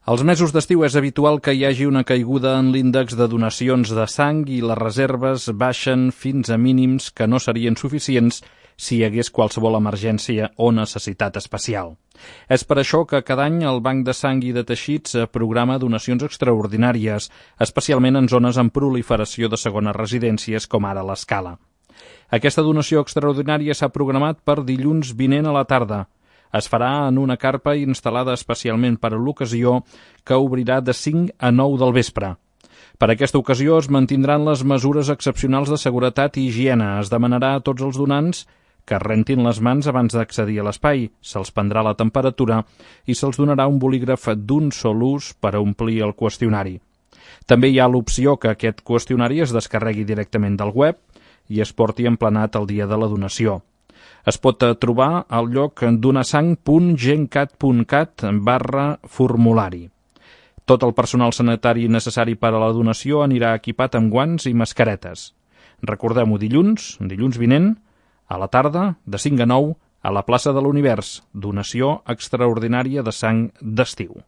Als mesos d'estiu és habitual que hi hagi una caiguda en l'índex de donacions de sang i les reserves baixen fins a mínims que no serien suficients si hi hagués qualsevol emergència o necessitat especial. És per això que cada any el Banc de Sang i de Teixits programa donacions extraordinàries, especialment en zones amb proliferació de segones residències com ara l'Escala. Aquesta donació extraordinària s'ha programat per dilluns vinent a la tarda. Es farà en una carpa instal·lada especialment per a l'ocasió que obrirà de 5 a 9 del vespre. Per aquesta ocasió es mantindran les mesures excepcionals de seguretat i higiene. Es demanarà a tots els donants que rentin les mans abans d'accedir a l'espai, se'ls prendrà la temperatura i se'ls donarà un bolígraf d'un sol ús per a omplir el qüestionari. També hi ha l'opció que aquest qüestionari es descarregui directament del web i es porti emplenat el dia de la donació. Es pot trobar al lloc donasang.gencat.cat/formulari. Tot el personal sanitari necessari per a la donació anirà equipat amb guants i mascaretes. Recordem-ho, dilluns vinent, a la tarda, de 5 a 9, a la plaça de l'Univers, donació extraordinària de sang d'estiu.